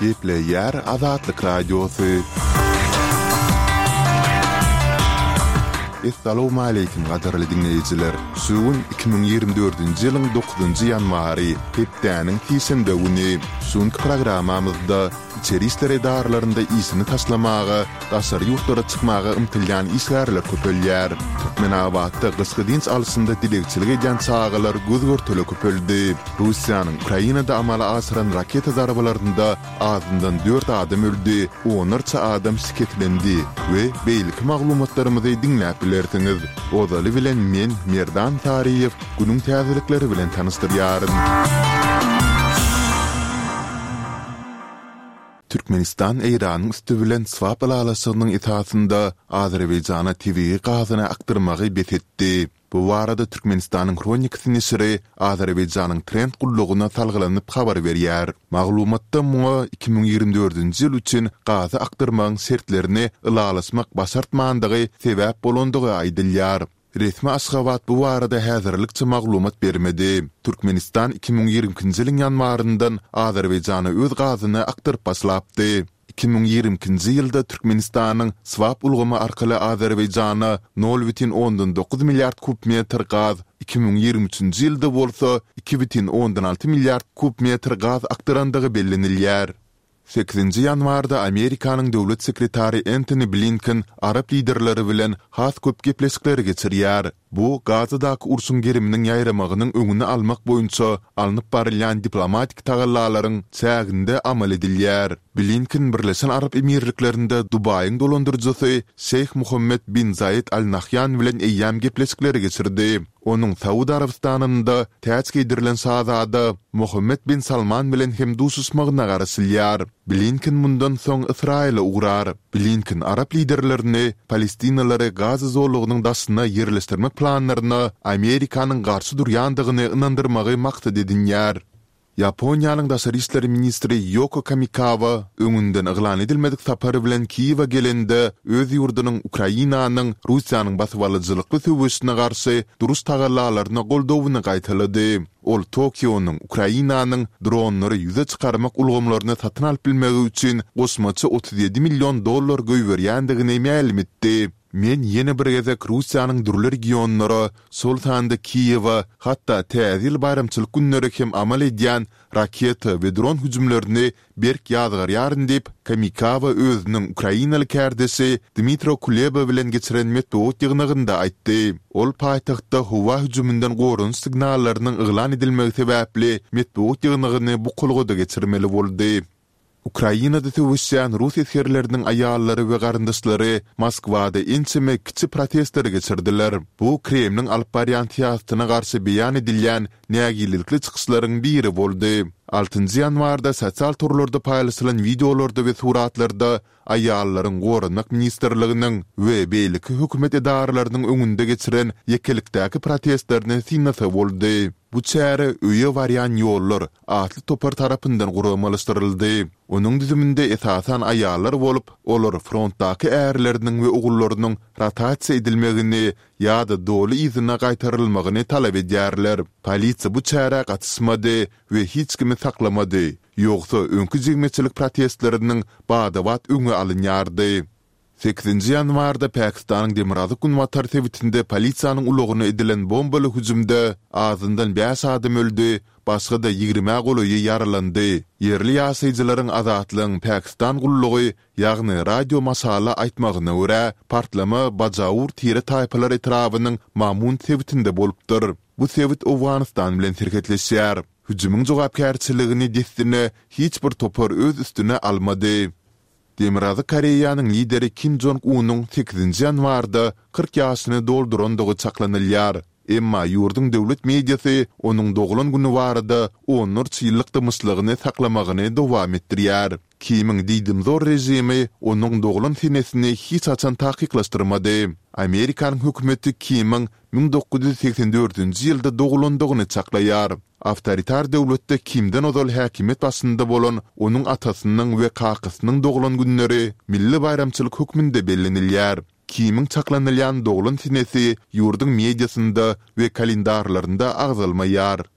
Gepleýär Azatlyk Radiosy. Essalawmaleýkim gadyrly diňleýjiler! Şu gün 2024-nji ýylyň dokuzynjy ýanwary, hepdäniň sişenbe güni. Şu günki programmamyzda içeri işler edaralarynda işini taşlamaga, daşary ýurtlara çykmaga ymtylýan işgärler köpelýär. Türkmenabatda gyşky dynç alşynda dilegçilik edýän çagalar göz-görtele köpeldi. Russiýanyň Ukrainada amala aşyran raketa zarbalarynda azyndan dört adam öldi, onlarça adam şikeslendi we beýleki maglumatlarymyzy diňläp bilersiňiz. Ozaly bilen men, Merdan Saryýew, günüň täzelikleri bilen tanyşdyrýaryn. Türkmenistan Eýranyň üsti bilen swap ylalaşygynyň esasynda Azerbaýjana tebigy gazyny akdyrmagy bes etdi. Bu barada Türkmenistanyň Hronikasy neşiri Azerbaýjanyň Trend gullugyna salgylanyp habar berýär. Maglumatda muňa 2024-nji ýyl üçin gazy akdyrmagyň şertlerini ylalaşmak başartmandygy sebäp bolandygy aýdylýar. Resmi Aşgabat bu barada häzirlikçe maglumat bermedi. Türkmenistan 2022-nji ýylyň ýanwaryndan Azerbaýjana öz gazyny akdyryp başlapdy. 2022-nji ýylda Türkmenistanyň swap ulgamy arkaly Azerbaýjana nol bütin ondan dokuz milliard kub metr gaz, 2023-nji ýylda bolsa iki bütin ondan alty milliard kub metr gaz akdyrandygy bellenilýär. Sekizinji ýanwarda Amerikanyň döwlet sekretary Entoni Blinken arap liderleri bilen has köp gepleşikleri geçirýär. Bu, Gazadaky urşuň geriminiň ýaýramagynyň öňüni almak boýunça alnyp barylýan diplomatik tagallalaryň çäginde amal edilýär. Blinken Birleşen Arap Emirliklerinde Dubaýyň dolandyryjysy Şeýh Muhammed bin Zaýed Al Nahýan bilen eýýäm gepleşikleri geçirdi. Onuň Saud Arabystanynda täç geýdirilen şazada Mohammed bin Salman bilen hem duşuşmagyna garaşylýar. Blinken mundan soň Ysraýyla ugrar. Blinken arap liderlerini palestinalary Gaza zolagynyň daşyna ýerleşdirmek planlaryna Amerikanyň garşy durýandygyny ynandyrmagy maksat edinýär. Ýaponiýanyň daşary işler ministri Ýoko Kamikawa öňünden yglan edilmedik sapary bilen Kiýewe gelende, öz ýurdunyň Ukrainanyň Russiýanyň basybalyjylykly söweşine garşy duruş tagallalaryna goldawyny gaýtalady. Ol Tokionyň Ukrainanyň dronlary ýüze çykarmak ulgamlaryny satyn alyp bilmegi üçin goşmaça 37 million dollar goýberýändigini mälim etdi. Men ýene bir gezek Russiýanyň dürli regionlara, şol sanda Kiýewe, hatda Täze ýyl baýramçylyk günleri hem amal edýän raketa we dron hüjümlerini berk ýazgarýaryn diýip, Kamikawa özüniň ukrainaly kärdeşi Dmitro Kuleba bilen geçiren metbugat ýygnagynda aýtdy. Ol paýtagtda howa hüjüminden goranyş signallarynyň yglan edilmegi sebäpli metbugat ýygnagyny bukulgada geçirmeli boldy. Ukrainada söweşýän rus esgerleriniň aýallary we garyndaşlary Moskwada ençeme kiçi protestleri geçirdiler. Bu Kremliň alyp barýan syýasatyna garşy beýan edilýän nägilelikli çykyşlaryň biri boldy. Altynjy ýanwarda sosial torlarda paýlaşylan wideolarda we suratlarda aýallaryň Goranmak ministrliginiň we beýleki hökümet edaralarynyň öňünde geçiren ýekelikdäki protestlerini synlasa boldy. Bu çäre Öýe barýan ýollar atly topar tarapyndan guramalaşdyryldy. Onuň düzüminde esasan aýallar bolup, olar frontdaky ärleriniň we ogullarynyň rotasiýa edilmegini ýa-da doly yzyna gaýtarylmagyny talap edýärler. Polisiýa bu çärä gatyşmady we hiç kimi saklamady, ýogsa öňki jemgyýetçilik protestleriniň bada-bat öňi alynýardy. Sekizinji ýanwarda Pakistanyň demirgazyk-günbatar sebitinde polisiýanyň ulagyna edilen bombaly hüjümde azyndan bäş adam öldi, başga-da ýigrimä golaýy ýaralandy. Ýerli ýaşaýjylaryň Azatlygyň Pakistan gullugy, ýagny Radio Masala aýtmagyna görä, partlama Bajaur tire-taýpalar etrabynyň Mamund sebitinde bolupdyr. Bu sebit Owganystan bilen serhetleşýär. Hüjümiň jogapkärçiligini dessine hiç bir topar öz üstüne almady. Demirgazyk Koreýanyň lideri Kim Jong Unyň sekizinji ýanwarda 40 ýaşyny doldurandygy çaklanylýar. Emma ýurduň döwlet mediasy onuň doglan güni barada onlarça ýyllyk dymyşlygyny saklamagyny dowam etdirýär. Kimiň diýdimzor režimi onuň doglan senesini hiç haçan takyklaşdyrmady. Amerikanyň hökümeti Kimiň 1984-nji ýylda dogulandygyny çaklaýar. Awtoritar döwletde Kimden ozal häkimiýet başynda bolan onuň atasynyň we kakasynyň doglan günleri milli baýramçylyk hökmünde bellenilýär. Kimiň çaklanylýan doglan senesi ýurduň mediasynda we kalendarlarynda agzalmaýar.